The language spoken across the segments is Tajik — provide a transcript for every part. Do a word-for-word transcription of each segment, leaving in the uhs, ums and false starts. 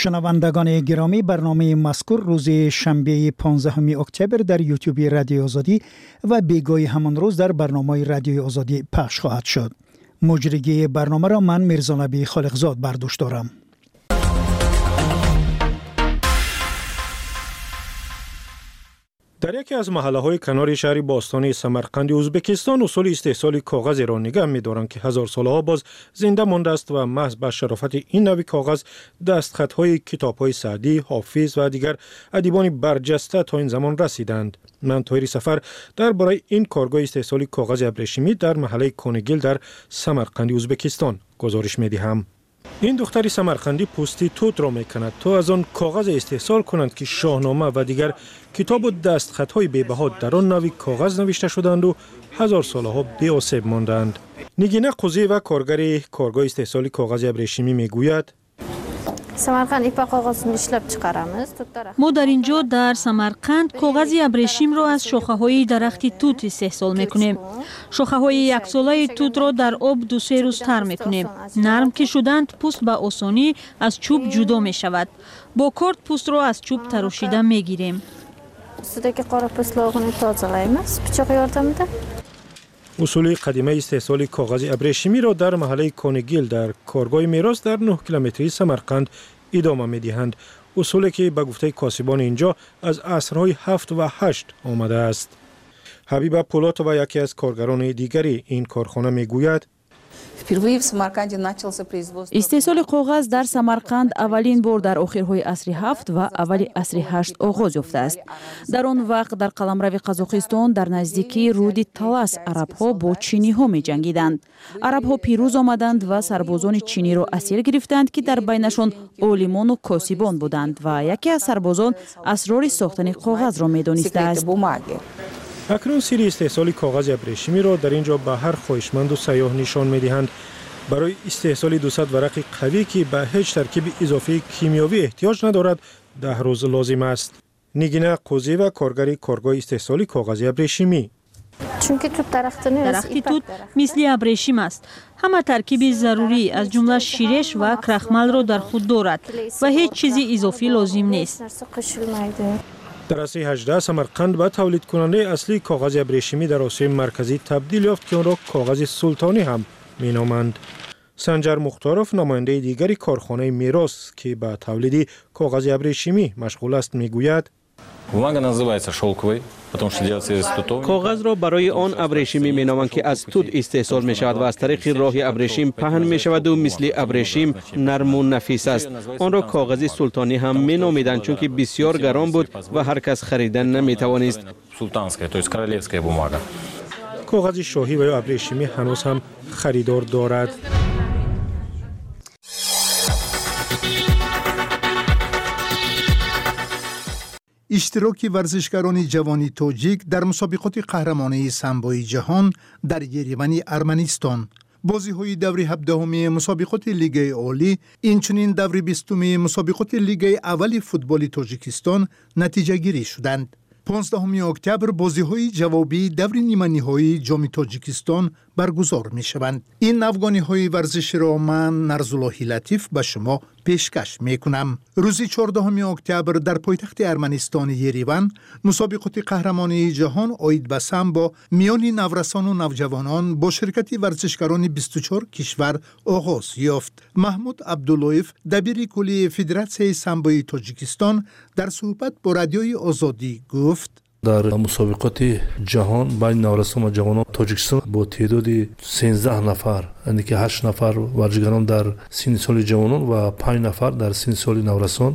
Шунавандагони гиромӣ, барномаи мазкур рӯзи шанбеи понздаҳуми октябр дар ютюби Радиои Озодӣ ва бегоҳи ҳамон рӯз дар барномаи Радиои Озодӣ пахш хоҳад шуд. Муҷригии барномаро ман Мирзонабӣ Холиқзод бар дӯш дорам. Дар яке аз маҳаллаҳои канори шаҳри бостонии Самарқанди Ӯзбекистон усули истеҳсоли коғазеро нигаҳ медоранд, ки ҳазорсолаҳо боз зинда мондааст ва маҳз ба шарофати ин навъи коғаз дастхатҳои китобҳои Саъдӣ, Ҳофиз ва дигар адибони барҷаста то ин замон расиданд. Ман Тоҳири Сафар дар бораи ин коргоҳи истеҳсоли коғази абрешимӣ дар маҳаллаи Конигил дар Самарқанди Ӯзбекистон гузориш медиҳам. Ин духтари самарқандӣ пӯсти тутро мекунад, то аз он коғазе истеҳсол кунанд, ки шоҳнома ва дигар китобу дастхатҳои бебаҳо дар он навъи коғаз навишта шуданду ҳазорсолаҳо беосеб монданд. Нигина Қузиева, коргари коргоҳи истеҳсоли коғази абрешимӣ, мегӯяд: Мо дар ин ҷо дар Самарқанд коғази абрешимро аз шохаҳои дарахти тут истеҳсол мекунем. Шохаҳои яксолаи тутро дар об ду-се рӯз тар мекунем. Нарм ки шуданд, пӯст ба осонӣ аз чӯб ҷудо мешавад. Бо корд пӯстро аз чӯб тарошида мегирем. Усули қадимаи истеҳсоли коғази абрешимиро дар маҳаллаи Конигил дар коргоҳи мерос дар нӯҳ километрии Самарқанд идома медиҳанд. Усуле ки ба гуфтаи косибони инҷо аз асрҳои ҳафт ва ҳашт омадааст. Ҳабиба Пулотова, яке аз коргарони дигари ин корхона, мегӯяд: Истеҳсоли коғаз дар Самарқанд аввалин бор дар охирҳои асри ҳафт ва аввали асри ҳашт оғоз ёфтааст. Дар он вақт дар қаламрави Қазоқистон дар наздикии руди Талас арабҳо бо чиниҳо меҷангиданд. Арабҳо пирӯз омаданд ва сарбозони чиниро асир гирифтанд, ки дар байнашон олимону косибон буданд ва яке аз сарбозон асрори сохтани коғазро медонистааст. Акнун сири истеҳсоли коғази абрешимиро дар ин ҷо ба ҳар хоҳишманду сайёҳ нишон медиҳанд. Барои истеҳсоли дусад варақи қавӣ, ки ба ҳеҷ таркиби изофии кимиёвӣ эҳтиёҷ надорад, даҳ рӯз лозим аст. Нигина Қузиева, коргари коргоҳи истеҳсоли коғази абрешимӣ: Дарахти тут мисли абрешим аст. Ҳама таркиби зарурӣ аз ҷумла ширеш ва крахмалро дар худ дорад ва ҳеҷ чизи изофӣ лозим нест. Дар асри ҳаждаҳ Самарқанд ба тавлидкунандаи аслии коғази абрешимӣ дар Осиёи Марказӣ табдил ёфт, ки онро коғази султонӣ ҳам меноманд. Санҷар Мухторов, намояндаи дигари корхонаи мерос, ки ба тавлиди коғази абрешимӣ машғул аст, мегӯяд: Коғазро барои он абрешимӣ меноманд, ки аз тут истеҳсол мешавад ва аз тариқи роҳи абрешим паҳн мешаваду мисли абрешим нарму нафис аст. Онро коғази султонӣ ҳам меномиданд, чунки бисёр гарон буд ва ҳар кас харида наметавонист. Коғази шоҳӣ ва ё абрешимӣ ҳанӯз ҳам харидор дорад. Иштироки варзишгарони ҷавони тоҷик дар мусобиқоти қаҳрамонии самбои ҷаҳон дар Еревани Арманистон, бозиҳои даври ҳабдаҳуми мусобиқоти Лигаи Олӣ, инчунин даври бистуми мусобиқоти Лигаи аввали футболи Тоҷикистон натиҷагирӣ шуданд. понздаҳуми октябр бозиҳои ҷавобии даври ниманиҳоии Ҷоми Тоҷикистон баргузор мешаванд. Ин навгониҳои варзиширо ман, Нарзуллоҳи Латиф, ба шумо пешкаш мекунам. Рӯзи чордаҳуми октябр дар пойтахти Арманистони Ереван мусобиқоти қаҳрамонии ҷаҳон оид ба самбо миёни наврасону навҷавонон бо ширкати варзишгарони бисту чор кишвар оғоз ёфт. Маҳмуд Абдуллоев, дабири кулли Федератсияи самбои Тоҷикистон, дар суҳбат бо Радиои Озодӣ гуфт: Дар мусобиқоти ҷаҳон байни наврасон ва ҷавонон Тоҷикистон бо теъдоди сенздаҳ нафар, яъне ки ҳашт нафар варзишгарон дар синни соли ҷавонон ва панҷ нафар дар синни соли наврасон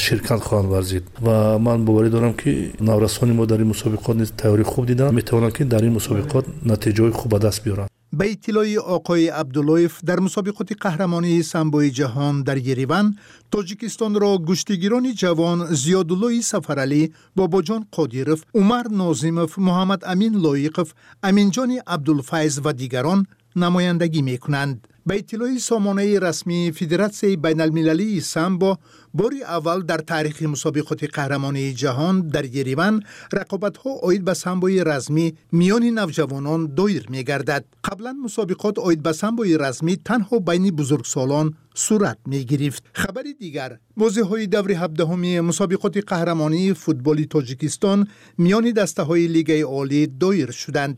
ширкат хоҳанд варзид ва ман боварӣ дорам, ки наврасони мо дар ин мусобиқот низ тайёрӣ хуб диданд, метавонанд, ки дар ин мусобиқот натиҷаҳои хуб ба даст биёранд. Ба иттилои оқои Абдуллоев, дар мусобиқоти қаҳрамонии самбои ҷаҳон дар Ереван Тоҷикистонро гӯштигирони ҷавон Зиёдуллои Сафаралӣ, Бобоҷон Қодиров, Умар Нозимов, Муҳаммад Амин Лоиқов, Аминҷони Абдулфайз ва дигарон намояндагӣ мекунанд. Ба иттилои сомонаи расмии Федератсияи байналмилалии самбо, бори аввал дар таърихи мусобиқоти қаҳрамонии ҷаҳон дар Ереван рақобатҳо оид ба самбои размӣ миёни навҷавонон доир мегардад. Қаблан мусобиқот оид ба самбои размӣ танҳо байни бузургсолон сурат мегирифт. Хабари дигар: бозиҳои даври ҳабдаҳуми мусобиқоти қаҳрамонии футболи Тоҷикистон миёни дастаҳои Лигаи Олӣ доир шуданд.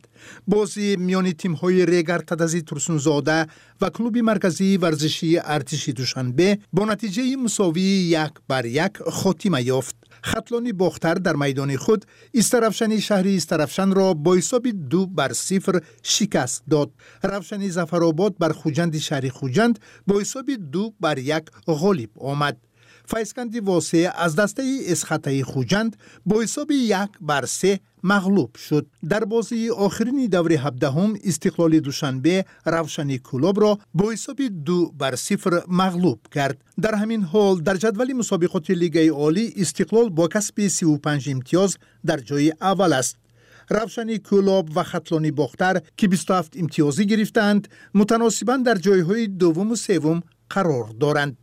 Бозӣ миёни тимҳои Регар Тадази Турсунзода ва клуби марказии варзишии Артиши Душанбе бо натиҷаи мусовии як бар як хотима ёфт. Хатлони Бохтар дар майдони худ Истаравшани шаҳри Истаравшанро бо ҳисоби ду бар сифр шикаст дод. Равшани Зафаробод бар Хуҷанди шаҳри Хуҷанд бо ҳисоби ду бар як ғолиб омад. Файзканди Восеъ аз дастаи Эсхатаи Хуҷанд бо ҳисоби як бар се мағлуб шуд. Дар бозии охирини даври ҳабдаҳум Истиқлоли Душанбе Равшани Кӯлобро бо ҳисоби ду бар сифр мағлуб кард. Дар ҳамин ҳол дар ҷадвали мусобиқоти Лигаи Олӣ Истиқлол бо касби сиву панҷ имтиёз дар ҷои аввал аст. Равшани Кӯлоб ва Хатлони Бохтар, ки бисту ҳафт имтиёзӣ гирифтаанд, мутаносибан дар ҷойҳои дуввуму севум қарор доранд.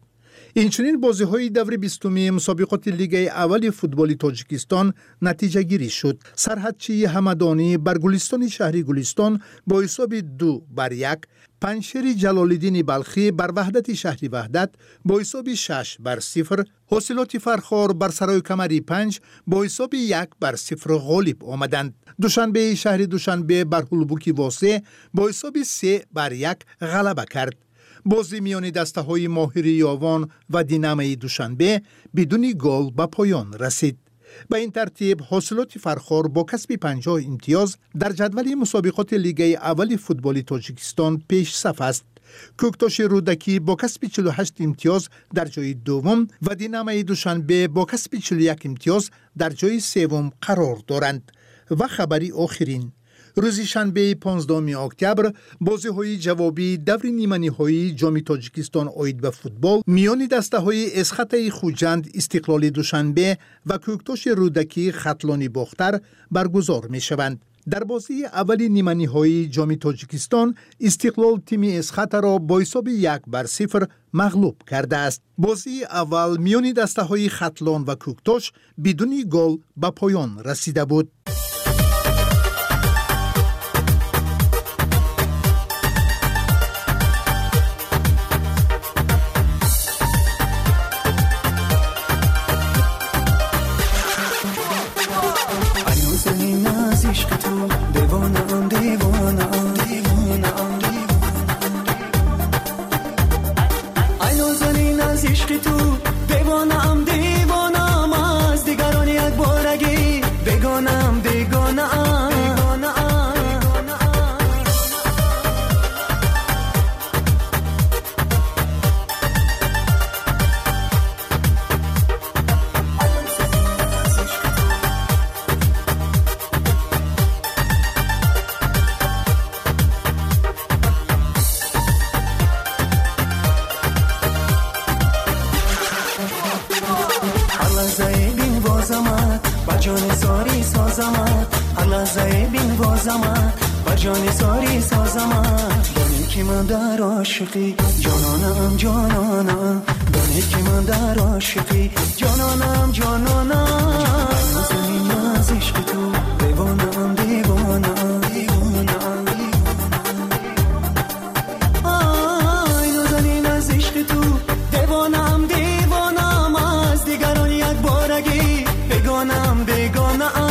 Инчунин бозиҳои даври бистуми мусобиқоти Лигаи аввали футболи Тоҷикистон натиҷагирӣ шуд. Сарҳадчии Ҳамадонӣ бар Гулистони шаҳри Гулистон бо ҳисоби ду бар як, Панҷшери Ҷалолиддини Балхӣ бар Ваҳдати шаҳри Ваҳдат бо ҳисоби шаш бар сифр, Ҳосилоти Фархор бар Сарои Камари панҷ бо ҳисоби як бар сифр ғолиб омаданд. Душанбеи шаҳри Душанбе бар Ҳулбуки Восеъ бо ҳисоби се бар як ғалаба кард. Бозӣ миёни дастаҳои Моҳири Ёвон ва Динамои Душанбе бидуни гол ба поён расид. Ба ин тартиб Ҳосилоти Фархор бо касби панҷоҳ имтиёз дар ҷадвали мусобиқоти Лигаи аввали футболи Тоҷикистон пешсаф аст. Кӯктоши Рӯдакӣ бо касби чилу ҳашт имтиёз дар ҷои дуввум ва Динамои Душанбе бо касби чилу як имтиёз дар ҷои севум қарор доранд. Ва хабари охирин: рӯзи шанбеи понздаҳуми октябр бозиҳои ҷавобии даври ниманиҳоии Ҷоми Тоҷикистон оид ба футбол миёни дастаҳои Эсхатаи Хуҷанд, Истиқлоли Душанбе ва Кӯктоши Рӯдакӣ Хатлони Бохтар баргузор мешаванд. Дар бозии аввали ниманиҳоии Ҷоми Тоҷикистон Истиқлол тими Эсхатаро бо ҳисоби як бар сифр мағлуб кардааст. Бозии аввал миёни дастаҳои Хатлон ва Кӯктош бидуни гол ба поён расида буд. جانانم جانانم دانید که من در عاشقی جانانم جانانم زمین از عشق تو دیوانم دیوانم دیوانم آی نازنین از عشق تو دیوانم دیوانم از دیگران یک بارگی بگانم بگانم.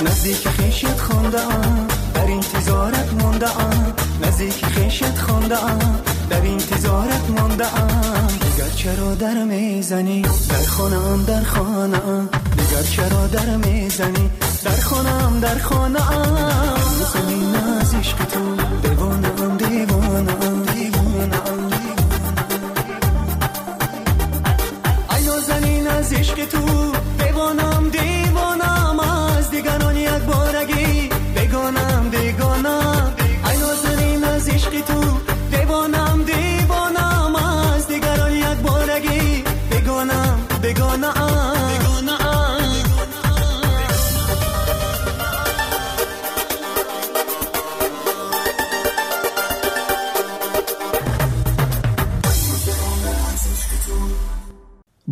نزدیک خیشت خوانده‌ام در انتظارت مانده‌ام نزدیک خیشت خوانده‌ام در انتظارت مانده‌ام دیگر چرا در میزنی در خانه‌ام در خانه‌ام دیگر چرا در میزنی در خانه‌ام در خانه‌ام زمین از عشق تو دیوانه‌ام دیوانه‌ام دیوانه‌ام ای نازنین از عشق تو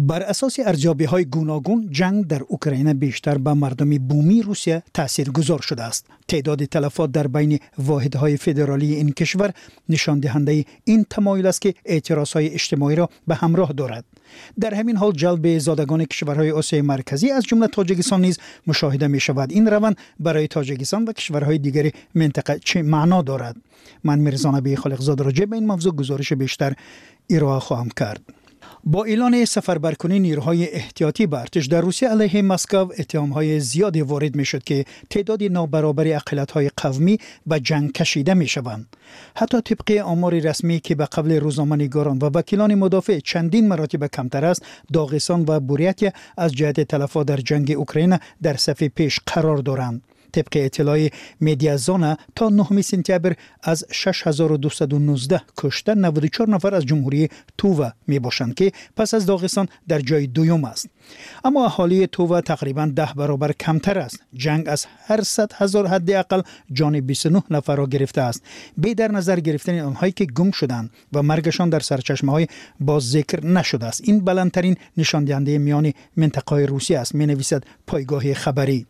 Бар асоси арзёбиҳои гуногун, ҷанг дар Украина бештар ба мардуми бумии Русия таъсиргузор шудааст. Теъдоди талафот дар байни воҳидҳои федералии ин кишвар нишондиҳандаи ин тамоюл аст, ки эътирозҳои иҷтимоиро ба ҳамроҳ дорад. Дар ҳамин ҳол ҷалби зодагони кишварҳои Осиёи Марказӣ, аз ҷумла Тоҷикистон, низ мушоҳида мешавад. Ин раванд барои Тоҷикистон ва кишварҳои дигари минтақа чӣ маъно дорад? Ман Мирзонаби Холиқзода роҷеъ ба ин мавзӯъ гузориши бештар ироа хоҳам кард. Бо эълони сафарбаркунии нерӯҳои эҳтиётӣ ба артиш дар Русия алайҳи Москва иттиҳомҳои зиёде ворид мешуд, ки теъдоди нобаробари ақаллиятҳои қавмӣ ба ҷанг кашида мешаванд. Ҳатто тибқи омори расмӣ, ки ба қавли рӯзноманигорон ва вакилони мудофеъ чандин маротиба камтар аст, Доғистон ва Бурятия аз ҷиҳати талафот дар ҷанги Украина дар сафи пеш қарор доранд. Тибқи иттилои Медиазона, то нӯҳуми сентябр аз шаш ҳазору дусаду нуздаҳ кушта наваду чор нафар аз Ҷумҳурии Тува мебошанд, ки пас аз Доғистон дар ҷои дуюм аст. Аммо аҳолии Тува тақрибан даҳ баробар камтар аст. Ҷанг аз ҳар сад ҳазор ҳадди ақал ҷони бисту нӯҳ нафарро гирифтааст, бе дар назар гирифтани онҳое ки гум шуданд ва маргашон дар сарчашмаҳои боз зикр нашудааст. Ин баландтарин нишондиҳандаи миёни минтақаҳои Русия аст, менависад пойгоҳи хабарӣ.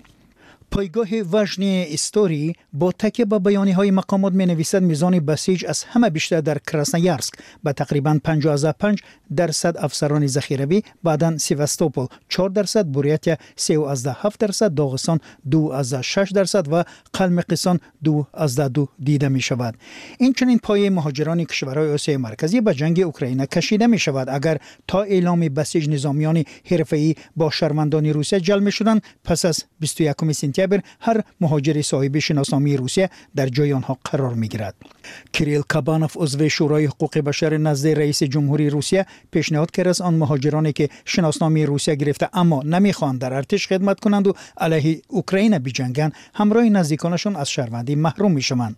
Пойгоҳи Важные истории бо такя ба баёниҳои мақомот менависад, мизони басиҷ аз ҳама бештар дар Красноярск ба тақрибан панҷоҳу панҷ дарсад афсарони захиравӣ, баъдан Севастопол чор дарсад, Бурятия се ҳафт дарсад, Доғистон ду шаш дарсад ва Қалмиқистон ду ду дида мешавад. Инчунин пояи муҳоҷирони кишварҳои Осиёи Марказӣ ба ҷанги Украина кашида мешавад. Агар то эъломи басиҷ низомиёни ҳирфаӣ бо шаҳрвандони Русия ҷалб мешуданд, пас аз бисту якуми сентябр ҳар муҳоҷири соҳиби шиносномаи Русия дар ҷои онҳо қарор мегирад. Кирилл Кабанов, узви Шӯрои ҳуқуқи башар назди раиси ҷумҳурии Русия, пешниҳод кардааст он муҳоҷироне ки шиносномаи Русия гирифта, аммо намехоҳанд дар артиш хидмат кунанд ва алайҳи Украина биҷанганд, ҳамроҳи наздиконашон аз шаҳрвандӣ маҳрум мешаванд.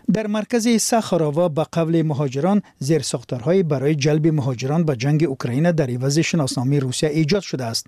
Дар маркази Сахарова ба қавли муҳоҷирон зерсохторҳое барои ҷалби муҳоҷирон ба ҷанги Украина дар ивази шиносномаи Русия эҷод шудааст.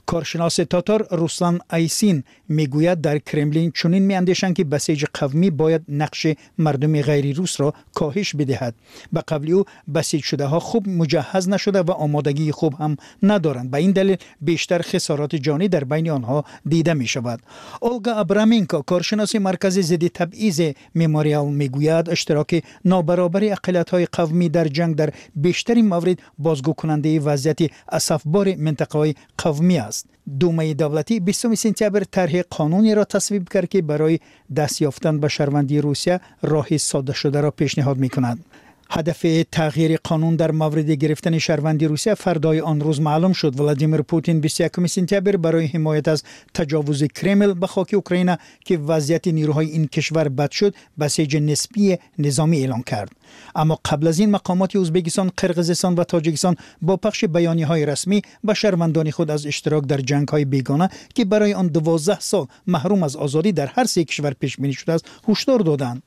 Коршиноси татор Руслан Айсин мегӯяд, дар Кремлин чунин меандешанд, ки басиҷи қавмӣ бояд нақши мардуми ғайрирусро коҳиш бидиҳад. Ба қавли ӯ, басиҷшудаҳо хуб муҷаҳҳаз нашуда ва омодагии хуб ҳам надоранд. Ба ин далел бештар хисороти ҷонӣ дар байни онҳо дида мешавад. Олга Абраменко, коршиноси маркази зидди табъизи Мемориал, мегӯяд иштироки нобаробари ақаллиятҳои қавмӣ дар ҷанг дар бештари маврид бозгӯкунандаи вазъияти асафбори минтақаҳои қавмӣ аст. Думаи давлатӣ бистуми сентябр тарҳи қонунеро тасвиб кард, ки барои даст ёфтан ба шаҳрвандии Русия роҳи соддашударо пешниҳод мекунад. Ҳадафи тағйири қонун дар мавриди гирифтани шаҳрвандии Русия фардои он рӯз маълум шуд. Владимир Путин бисту якуми сентябр барои ҳимоят аз таҷовузи Кремл ба хоки Украина, ки вазъияти нерӯҳои ин кишвар бад шуд, басиҷи нисбии низомӣ эълон кард. Аммо қабл аз ин мақомоти Ӯзбекистон, Қирғизистон ва Тоҷикистон бо пахши баёниҳои расмӣ ба шаҳрвандони худ аз иштирок дар ҷангҳои бегона, ки барои он дувоздаҳ сол маҳрум аз озодӣ дар ҳар се кишвар пешбинӣ шудааст, ҳушдор доданд.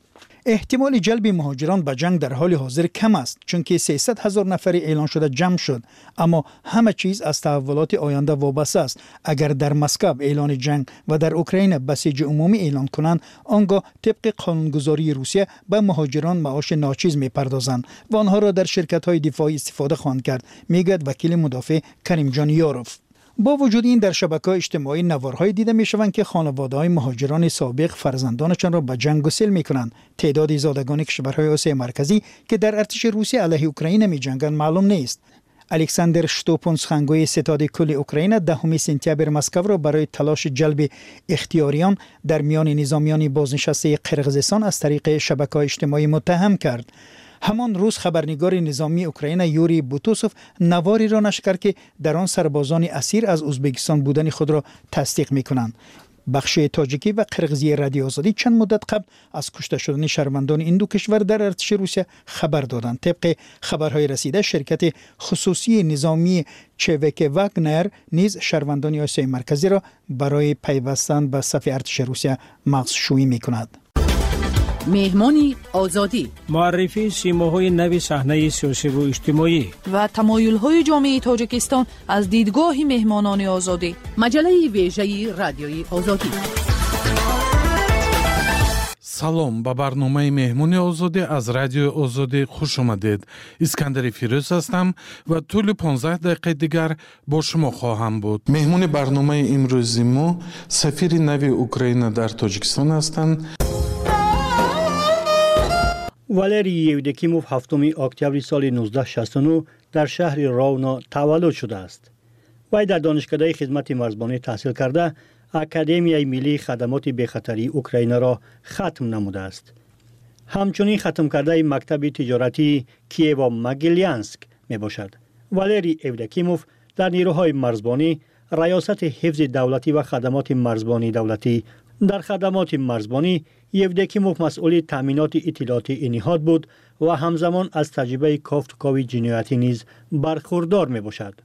Эҳтимоли ҷалби муҳоҷирон ба ҷанг дар ҳоли ҳозир кам аст, чунки сесад ҳазор нафари эълон шуда ҷамъ шуд. Аммо ҳама чиз аз таҳаввулоти оянда вобаста аст. Агар дар Москва эълони ҷанг ва дар Украина басиҷи умумӣ эълон кунанд, он гоҳ тибқи қонунгузории Русия ба муҳоҷирон маоши ночиз мепардозанд ва онҳоро дар ширкатҳои дифоӣ истифода хоҳанд кард, мегӯяд вакили мудофеъ Каримҷон Ёров. Бо вуҷуди ин дар шабакаҳои иҷтимоӣ наворҳое дида мешаванд, ки хонаводаҳои муҳоҷирони собиқ фарзандонашонро ба ҷанг гусел мекунанд. Теъдоди зодагони кишварҳои Осиёи Марказӣ, ки дар артиши Русия алайҳи Украина меҷанганд, маълум нест. Александр Штопун, сухангӯи ситоди кулли Украина, даҳуми сентябр Москваро барои талоши ҷалби ихтиёриён дар миёни низомиёни бознишастаи Қирғизистон аз тариқи шабакаҳои иҷтимоӣ муттаҳам кард. Ҳамон рӯз хабарнигори низомии Украина Юрий Бутусов навориро нашр кард, ки дар он сарбозони асир аз Ӯзбекистон будани худро тасдиқ мекунанд. Бахши тоҷикӣ ва қирғизии Радиои Озодӣ чанд муддат қабл аз кушта шудани шаҳрвандони ин ду кишвар дар артиши Русия хабар доданд. Тибқи хабарҳои расида, ширкати хусусии низомии ЧВК Вагнер низ шаҳрвандони Осиёи Марказиро барои пайвастан ба сафи артиши Русия мағзшӯӣ мекунад. Меҳмони Озодӣ, муаррифии симоҳои нави саҳнаи сиёсиву иҷтимоӣ ва тамоюлҳои ҷомеаи Тоҷикистон аз дидгоҳи меҳмонони Озодӣ. Маҷаллаи вежаи Радиои Озодӣ. Салом, ба барномаи Меҳмони Озодӣ аз Радиои Озодӣ хуш омадед. Искандари Фирӯз ҳастам ва тӯли понздаҳ дақиқаи дигар бо шумо хоҳам буд. Меҳмони барномаи имрӯзи мо сафири нави Украина дар Тоҷикистон ҳастанд. Валерий Евдокимов ҳафтуми октябри соли нуздаҳ шасту нӯҳ дар шаҳри Ровно таваллуд шудааст. Вай дар донишкадаи хизмати марзбонӣ таҳсил карда, Академияи миллии хадамоти бехатарии Украинаро хатм намудааст. Ҳамчунин хатмкардаи мактаби тиҷоратии Киево-Могилянск мебошад. Валерий Евдокимов дар нерӯҳои марзбонӣ, раёсати ҳифзи давлатӣ ва хадамоти марзбонии давлатӣ. Дар хадамоти марзбонӣ Евдокимов масъули таъминоти иттилоотии ин ниҳод буд ва ҳамзамон аз таҷрибаи кофтукови ҷиноятӣ низ бархурдор мебошад.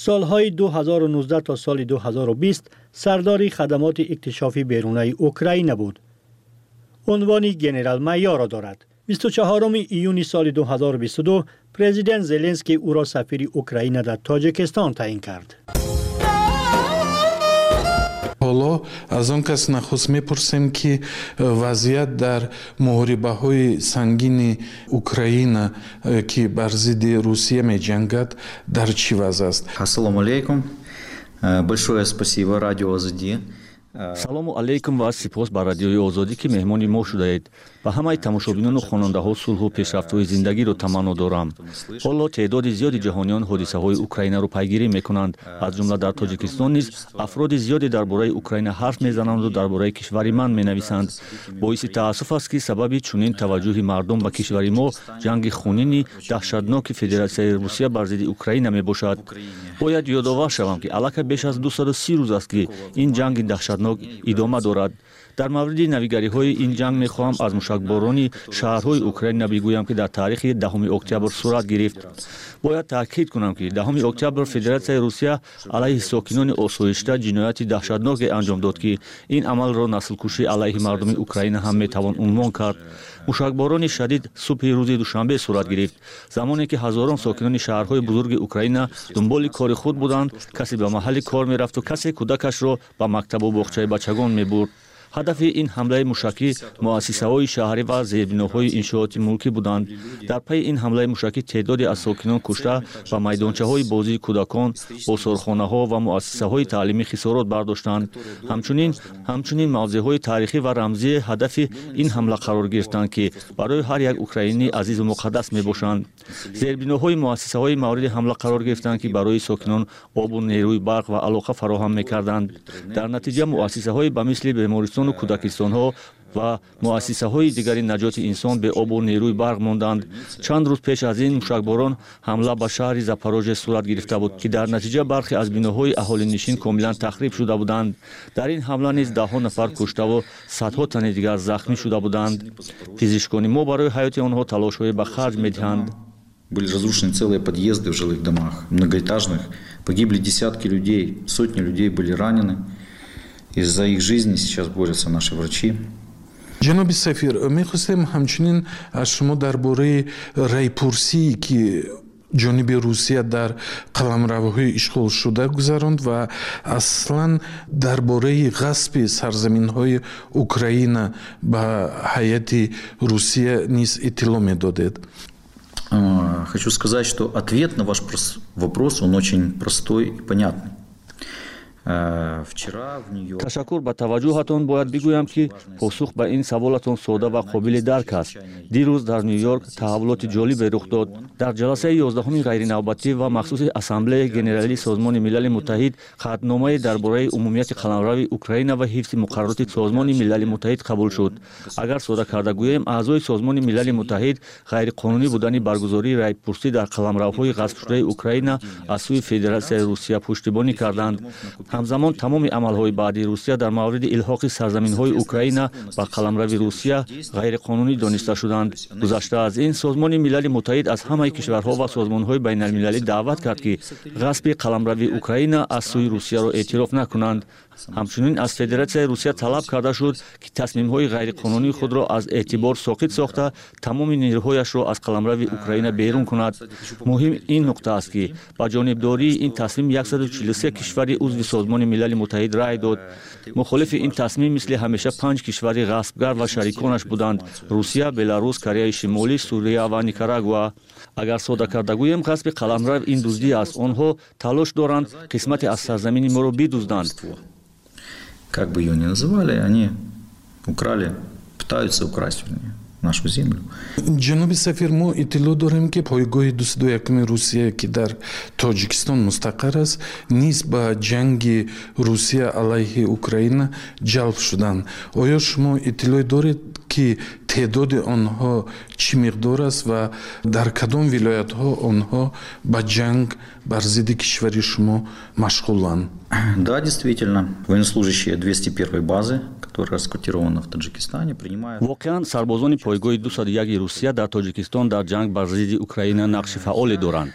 Солҳои ду ҳазору нуздаҳ то соли ду ҳазору бист сардори хадамоти иктишофи берунаи Украина буд. Унвони генерал-майорро дорад. бисту чаҳоруми июни соли ду ҳазору бисту ду президент Зеленский ӯро сафири Украина дар Тоҷикистон таъин кард. Ҳоло аз он кас нахуст мепурсем, ки вазъият дар муҳорибаҳои сангини Украина, ки бар зидди Русия меҷангад, дар чӣ вазъ аст. Ассалому алайкум. Большое спасибо радио Озодӣ. Салому алайкум ва сипос ба Радиои Озодӣ, ки меҳмони мо шудаед. Ба ҳамаи тамошобинону хонандаҳо сулҳу пешрафтҳои зиндагиро таманно дорам. Ҳоло теъдоди зиёди ҷаҳониён ҳодисаҳои Украинаро пайгирӣ мекунанд. Аз ҷумла дар Тоҷикистон низ афроди зиёде дар бораи Украина ҳарф мезананду дар бораи кишвари ман менависанд. Боиси таассуф аст, ки сабаби чунин таваҷҷӯҳи мардум ба кишвари мо ҷанги хунини даҳшатноки Федератсияи Русия бар зидди Украина мебошад. Бояд ёдовар шавам, ки аллакай беш аз дусаду си рӯз аст, ки ин ҷанги даҳшатнок идома дорад. Дар мавриди навигариҳои ин ҷанг мехоҳам аз мушакборони шаҳрҳои Украина бигӯям, ки дар таърихи даҳуми октябр сурат гирифт. Бояд таъкид кунам, ки даҳуми октябр Федератсияи Русия алайҳи сокинони осоишта ҷинояти даҳшатноке анҷом дод, ки ин амалро наслкушӣ алайҳи мардуми Украина ҳам метавон унвон кард. Мушакборони шадид субҳи рӯзи душанбе сурат гирифт, замоне ки ҳазорон сокинони шаҳрҳои бузурги Украина дунболи кори худ буданд. Касе ба маҳалли кор мерафту касе кӯдакашро ба мактабу боғчаи бачагон мебурд. Ҳадафи ин ҳамлаи мушакӣ муассисаҳои шаҳрӣ ва зербиноҳои иншооти мулкӣ буданд. Дар пайи ин ҳамлаи мушакӣ теъдоде аз сокинон кушта ва майдончаҳои бозии кӯдакон, осорхонаҳо ва муассисаҳои таълимӣ хисорот бардоштанд. Ҳамчунин ҳамчунин мавзеъҳои таърихӣ ва рамзии ҳадафи ин ҳамла қарор гирифтанд, ки барои ҳар як украинӣ азизу муқаддас мебошанд. Зербиноҳои муассисаҳои мавриди ҳамла қарор гирифтанд, ки барои сокинон обу нерӯи барқ ва алоқа фароҳам мекарданд. Дар натиҷа муассисаҳои ба мисли бемористон кӯдакистонҳо ва муассисаҳои дигари наҷоти инсон бе обу нерӯи барқ монданд. Чанд рӯз пеш аз ин мушакборон ҳамла ба шаҳри Запорожье сурат гирифта буд, ки дар натиҷа бархе аз биноҳои аҳолинишин комилан тахриб шуда буданд. Дар ин ҳамла низ даҳҳо нафар куштаву садҳо тани дигар захмӣ шуда буданд. Пизишкони мо барои ҳаёти онҳо талошҳое ба харҷ медиҳанд. Были разрушены целые подъезды в жилых домах, многоэтажных. Погибли десятки людей, сотни людей были ранены. Из-за их жизни сейчас борются наши врачи. Ҷаноби сафир, мехостем ҳамчунин аз шумо дар бораи райпурсие, ки ҷониби Русия дар қаламравҳои ишғолшуда гузаронд ва аслан дар бораи ғасби сарзаминҳои Украина ба ҳайати Русия низ иттилоъ медодед. Хочу сказать, что ответ на ваш вопрос, он очень простой и понятный. Ташаккур ба таваҷҷӯҳатон. Бояд бигӯям, ки посух ба ин саволатон сода ва қобили дарк аст. Дирӯз дар Ню-Йорк таҳаввулоти ҷолибе рух дод. Дар ҷаласаи ёздаҳуми ғайринавбатӣ ва махсуси Ассамблеяи Генералии Созмони Милали Муттаҳид қатъномае дар бораи умумияти қаламрави Украина ва ҳифзи муқаррароти Созмони Милали Муттаҳид қабул шуд. Агар сода карда гӯем, аъзои Созмони Милали Муттаҳид ғайриқонунӣ будани баргузории райпурсӣ дар қаламравҳои ғасбшудаи Украина аз сӯи Федератсияи Русия пуштибонӣ карданд. Ҳамзамон тамоми амалҳои баъдии Русия дар мавриди илҳоқи сарзаминҳои Украина ба қаламрави Русия ғайриқонунӣ дониста шуданд. Гузашта аз ин, Созмони Милали Муттаҳид аз ҳамаи кишварҳо ва созмонҳои байналмилалӣ даъват кард, ки ғасби қаламрави Украина аз сӯи Русияро эътироф накунанд. Ҳамчунин аз Федератсияи Русия талаб карда шуд, ки тасмимҳои ғайриқонунии худро аз эътибор соқит сохта, тамоми нерӯҳояшро аз қаламрави Украина берун кунад. Муҳим ин нуқта аст, ки ба ҷонибдории ин тасмим яксаду чилу се кишвари узви Созмони Милали Муттаҳид рай дод. Мухолифи ин тасмим мисли ҳамеша панҷ кишвари ғасбгар ва шариконаш буданд: Русия, Беларус, Кореяи Шимолӣ, Сурия ва Никарагуа. Агар сода карда гӯем, ғасби қаламрав ин дуздӣ аст. Онҳо талош доранд қисмате аз сарзамини моро бидузданд. Как бы ее ни называли, они украли, пытаются украсть, вернее, нашу землю. Ҷаноби сафир, мо иттилоъ дорем, ки пойгоҳи дусаду якуми Русия, ки дар Тоҷикистон мустақар аст, низ ба ҷанги Русия алайҳи Украина ҷалб шуданд. Оё шумо иттилоъ доред, ки теъдоди онҳо чӣ миқдор аст ва дар кадом вилоятҳо онҳо ба ҷанг бар зидди кишвари шумо машғуланд? Да, действительно, военнослужащие двести первой базы, которая расквартирована в Таджикистане, принимают... Воқеан, сарбозони пойгоҳи дусаду яки Русия дар Тоҷикистон дар ҷанг бар зидди Украина нақши фаъоле доранд.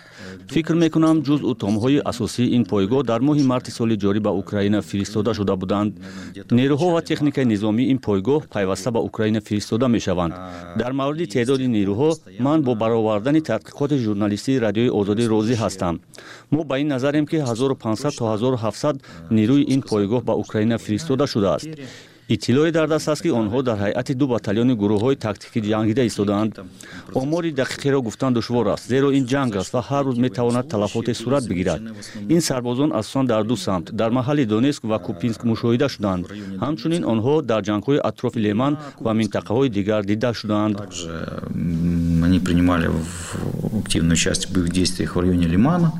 Фикр мекунам, ҷузъу томҳои асосии ин пойгоҳ дар моҳи марти соли ҷорӣ ба Украина фиристода шуда буданд. Нерӯҳо ва техникаи низомии ин пойгоҳ пайваста ба Украина фиристода мешаванд. Дар мавриди теъдоди нерӯҳо ман бо баровардани тадқиқоти журналистии Радиои Озодӣ розӣ ҳастам. Мо ба ин назарем, ки ҳазору панҷсад то ҳазору ҳафтсад нерӯи ин пойгоҳ ба Украина фиристода шудааст. Иттилоъе дар даст аст, ки онҳо дар ҳайати ду батальони гурӯҳҳои тактикӣ ҷангида истодаанд. Омори дақиқеро гуфтан душвор аст, зеро ин ҷанг аст ва ҳар рӯз метавонад талафоте сурат бигирад. Ин сарбозон асосан дар ду самт, дар маҳалли Донецк ва Купинск мушоҳида шуданд. Ҳамчунин онҳо дар ҷангҳои атрофи Леман ва минтақаҳои дигар дида шуданд. Они принимали активное участие в боевых действиях в районе Лимана,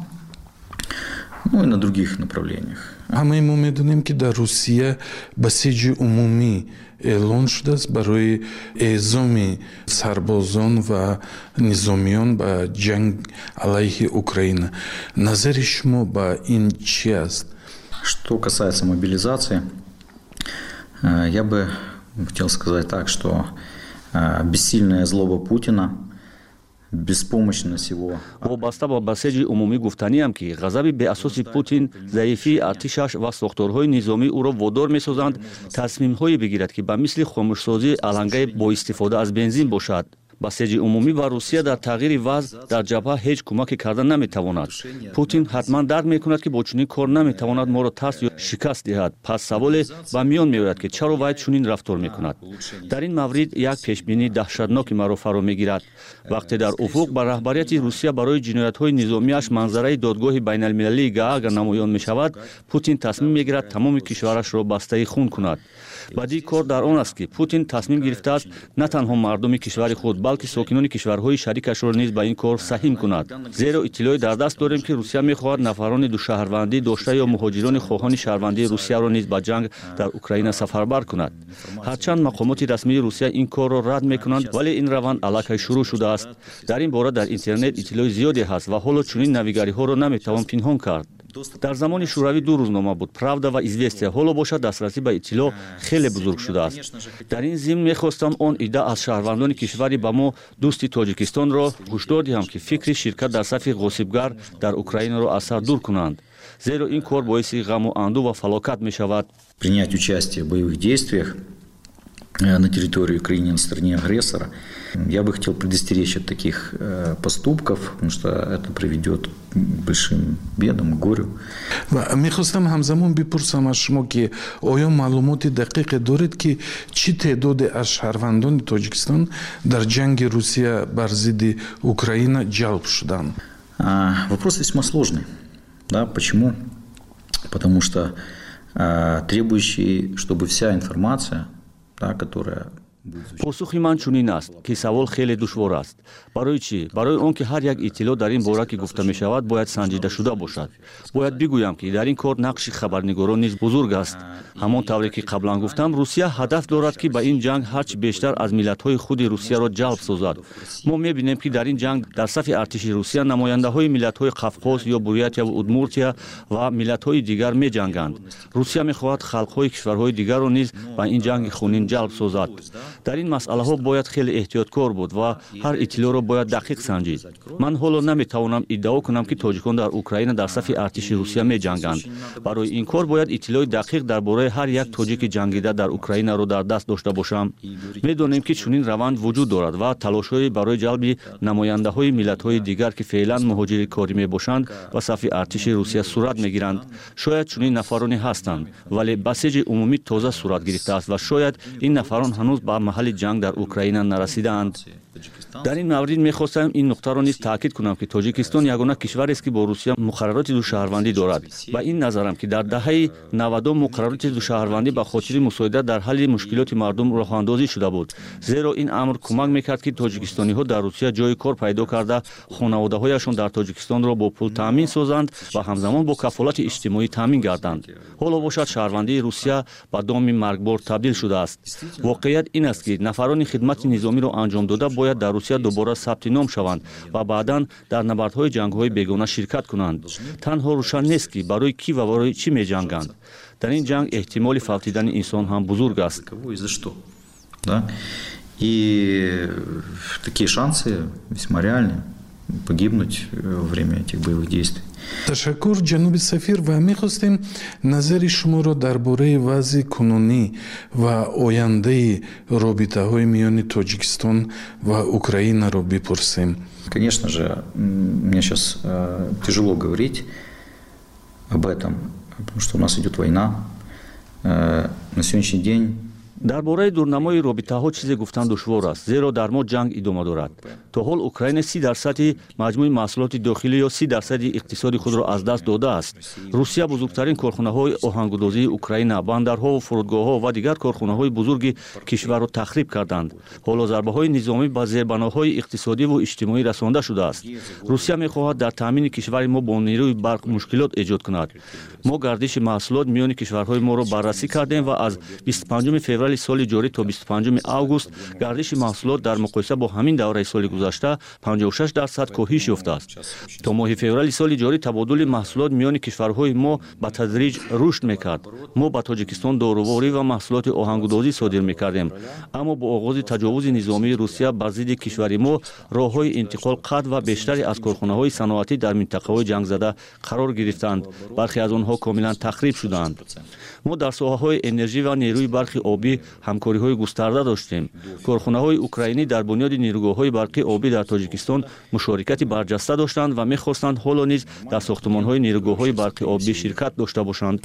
ну и на других направлениях. Ҳамаи мо медонем, ки дар Русия басиҷи умумӣ эълон шудааст барои эъзоми сарбозон ва низомиён ба ҷанг алайҳи Украина. Назари шумо ба ин чӣ аст? Что касается мобилизации, я бы хотел сказать так, что бессильная злоба Путина, беспомощность его. Вобаста ба басеҷи умумӣ гуфтаниам, ки ғазаби беасоси Путин, заифии артишаш ва сохторҳои низомӣ ӯро водор месозанд тасмимҳое бигирад, ки ба мисли хомӯшсозии алангаи бо истифода аз бензин бошад. Басеҷи умумӣ ба Русия дар тағйири вазъ дар ҷабҳа ҳеҷ кӯмаке карда наметавонад. Путин ҳатман дарк мекунад, ки бо чунин кор наметавонад моро тарс ё шикаст диҳад. Пас саволе ба миён меояд, ки чаро вай чунин рафтор мекунад. Дар ин маврид як пешбинии даҳшатноки маро фаро мегирад. Вақте дар уфуқ ба раҳбарияти Русия барои ҷиноятҳои низомиаш манзараи додгоҳи байналмилалии Гаага намоён мешавад, Путин тасмим мегирад тамоми кишварашро бастаи хун кунад. Бадии кор дар он аст, ки Путин тасмим гирифтааст на танҳо мардуми кишвари худ, балки сокинони кишварҳои шарикашро низ ба ин кор саҳим кунад. Зеро иттилоъе дар даст дорем, ки Русия мехоҳад нафарони душаҳрвандӣ дошта ё муҳоҷирони хоҳони шаҳрвандии Русияро низ ба ҷанг дар Украина сафарбар кунад. Ҳарчанд мақомоти расмии Русия ин корро рад мекунанд, вале ин раванд аллакай шурӯъ шудааст. Дар ин бора дар интернет иттилои зиёде ҳаст ва ҳоло чунин навигариҳоро наметавон пинҳон кард. Дар замони Шӯравӣ ду рӯзнома буд: Правда ва Известия. Ҳоло бошад, дастрасӣ ба иттилоъ хеле бузург шудааст. Дар ин зимн мехостам он идда аз шаҳрвандони кишвари ба мо дӯсти Тоҷикистонро ҳушдор диҳам, ки фикри ширкат дар сафи ғосибгар дар Украинаро аз сар дур кунанд, зеро ин кор боиси ғаму андӯ ва фалокат мешавад. Принять участие в боевых действиях на территории Украины на стороне агрессора. Я бы хотел предостеречь от таких поступков, потому что это приведет к большим бедам, к горю. Ва мехостам ҳамзамон бипурсам аз шумо, ки оё маълумоти дақиқе доред, ки чӣ теъдоде аз шаҳрвандони Тоҷикистон дар ҷанги Русия бар зидди Украина ҷалб шуданд? Вопрос весьма сложный. Да, почему? Потому что требующий, чтобы вся информация, да, которая Посухи ман чунин аст, ки савол хеле душвор аст. Барои чӣ? Барои он ки ҳар як иттилоъ дар ин бора, ки гуфта мешавад, бояд санҷида шуда бошад. Бояд бигӯям, ки дар ин кор нақши хабарнигорон низ бузург аст. Ҳамон тавре ки қаблан гуфтам, Русия ҳадаф дорад, ки ба ин ҷанг ҳарчи бештар аз миллатҳои худи Русияро ҷалб созад. Мо мебинем, ки дар ин ҷанг дар сафи артиши Русия намояндаҳои миллатҳои Қавқоз ё Бурятияву Удмуртия ва миллатҳои дигар меҷанганд. Русия мехоҳад халқҳои кишварҳои дигарро низ ба ин ҷанги хунин ҷалб созад. Дар ин масъалаҳо бояд хеле эҳтиёткор буд ва ҳар иттилоъро бояд дақиқ санҷид. Ман ҳоло наметавонам иддао кунам, ки тоҷикон дар Украина дар сафи артиши Русия меҷанганд. Барои ин кор бояд иттилои дақиқ дар бораи ҳар як тоҷики ҷангида дар Украинаро дар даст дошта бошам. Медонем, ки чунин раванд вуҷуд дорад ва талошҳое барои ҷалби намояндаҳои миллатҳои дигар, ки феълан муҳоҷири корӣ мебошанд, ба сафи артиши Русия сурат мегиранд. Шояд чунин нафароне ҳастанд, вале басиҷи умумӣ тоза сурат гирифтааст ва шояд ин нафарон ҳанӯз ба маҳалли ҷанг дар Украина нарасидаанд. Дар ин маврид мехостам ин нуқтаро низ таъкид кунам, ки Тоҷикистон ягона кишварест, ки бо Русия муқаррароти душаҳрвандӣ дорад. Ба ин назарам, ки дар даҳаи навадум муқаррароти душаҳрвандӣ ба хотири мусоидат дар ҳалли мушкилоти мардум роҳандозӣ шуда буд, зеро ин амр кӯмак мекард, ки тоҷикистониҳо дар Русия ҷои кор пайдо карда, хонаводаҳояшон дар Тоҷикистонро бо пул таъмин созанд ва ҳамзамон бо кафолати иҷтимоӣ таъмин гарданд. Ҳоло бошад, шаҳрвандии Русия ба доми маргбор табдил шудааст. Воқеият ин аст, ки нафарони хидмати низомиро анҷом дода бояд дар Русия дубора сабти ном шаванд ва баъдан дар набардҳои ҷангҳои бегона ширкат кунанд. Танҳо рӯшан нест, ки барои кӣ ва барои чӣ меҷанганд. Дар ин ҷанг эҳтимоли фавтидани инсон ҳам бузург аст. И такие шансы весьма реальны погибнуть во время этих боевых действий. Ташаккур, ҷаноби сафир, ва мехостем назари шуморо дар бораи вазъи кунунӣ ва ояндаи робитаҳои миёни Тоҷикистон ва Украинаро бипурсем. Конечно же, мне сейчас тяжело говорить об этом, потому что у нас идет война. На сегодняшний день Дар бораи дурнамои робитаҳо чизе гуфтан душвор аст, зеро дар мо ҷанг идома дорад. То ҳол Украина си дарсади маҷмӯи маҳсулоти дохилӣ ё си дарсади иқтисоди худро аз даст додааст. Русия бузургтарин корхонаҳои оҳангудозии Украина, бандарҳову фурудгоҳҳо ва дигар корхонаҳои бузурги кишварро тахриб карданд. Ҳоло зарбаҳои низомӣ ба зербаноҳои иқтисодиву иҷтимоӣ расонда шудааст. Русия мехоҳад дар таъмини кишвари мо бо нерӯи барқ мушкилот эҷод кунад. Мо гардиши маҳсулот миёни кишварҳои моро баррасӣ кардем ва аз бисту панҷуми феврали соли ҷорӣ то бисту панҷуми август гардиши маҳсулот дар муқоиса бо ҳамин давраи соли гузашта панҷоҳу шаш дарсад коҳиш ёфтааст. То моҳи феврали соли ҷорӣ табодули маҳсулот миёни кишварҳои мо ба тадриҷ рушд мекард. Мо ба Тоҷикистон доруворӣ ва маҳсулоти оҳангудозӣ содир мекардем, аммо бо оғози таҷовузи низомии Русия бар зидди кишвари мо роҳҳои интиқол қатъ ва бештаре аз корхонаҳои саноатӣ дар минтақаҳои ҷангзада қарор гирифтанд. Бархе аз онҳо комилан тахриб шуданд. Мо дар соҳаҳои энержӣ ва нерӯи барқи обӣ ҳамкориҳои густарда доштем. Корхонаҳои украинӣ дар бунёди нерӯгоҳҳои барқи обӣ дар Тоҷикистон мушорикати барҷаста доштанд ва мехостанд ҳоло низ дар сохтмонҳои нерӯгоҳҳои барқи обӣ ширкат дошта бошанд.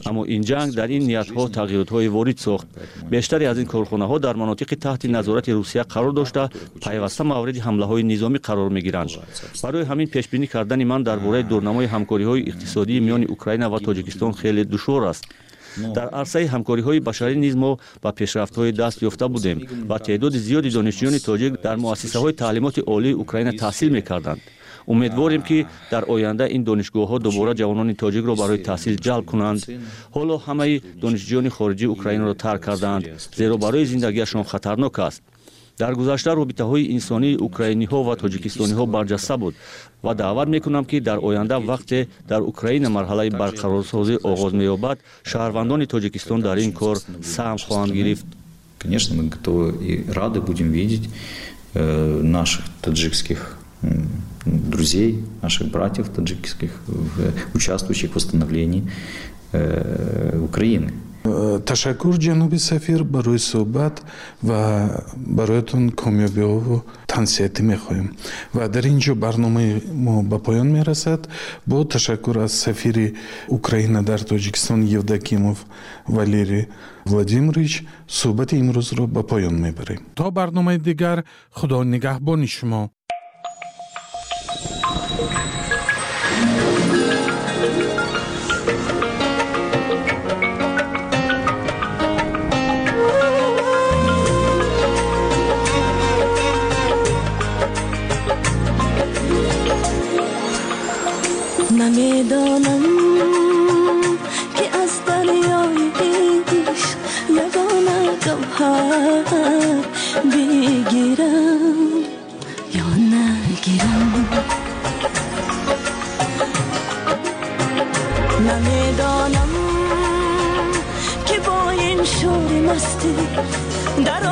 Аммо ин ҷанг дар ин ниятҳо тағйиротҳое ворид сохт. Бештаре аз ин корхонаҳо дар манотиқи таҳти назорати Русия қарор дошта, пайваста мавриди ҳамлаҳои низомӣ қарор мегиранд. Барои ҳамин пешбинӣ кардани ман дар бораи дурнамои ҳамкориҳои иқтисодии миёни Украина ва Тоҷикистон хеле душвор аст. Дар арсаи ҳамкориҳои башарӣ низ мо ба пешрафтҳои даст ёфта будем ва теъдоди зиёди донишҷӯёни тоҷик дар муассисаҳои таълимоти олии Украина таҳсил мекарданд. Умедворем, ки дар оянда ин донишгоҳҳо дубора ҷавонони тоҷикро барои таҳсил ҷалб кунанд. Ҳоло ҳамаи донишҷӯёни хориҷии Украинаро тарк кардаанд, зеро барои зиндагиашон хатарнок аст. Дар гузашта робитаҳои инсонии украиниҳо ва тоҷикистониҳо барҷаста буд ва даъват мекунам, ки дар оянда вақте дар Украина марҳалаи барқарорсозӣ оғоз меёбад, шаҳрвандони Тоҷикистон дар ин кор саҳм хоҳанд гирифт. Конечно, мы готовы и рады будем видеть наших таджикских друзей, наших братьев таджикских, участвующих в восстановлении Украины. Ташаккур, ҷаноби сафир, барои суҳбат ва бароятон комёбиҳову тансиҳатӣ мехоҳем. Ва дар ин ҷо барномаи мо ба поён мерасад. Бо ташаккур аз сафири Украина дар Тоҷикистон Евдокимов Валерий Владимирович суҳбати имрӯзро ба поён мебарем. То барномаи дигар, Худо нигаҳбони шумо. نمیدانم که از دریای عشق یگانه گوهر بگیرم یا نگیرم. نمیدانم که با این Шӯри мастӣ дар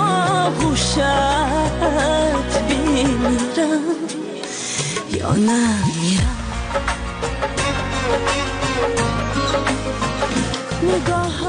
оғӯшат бимирам ё намирам. Нигоҳ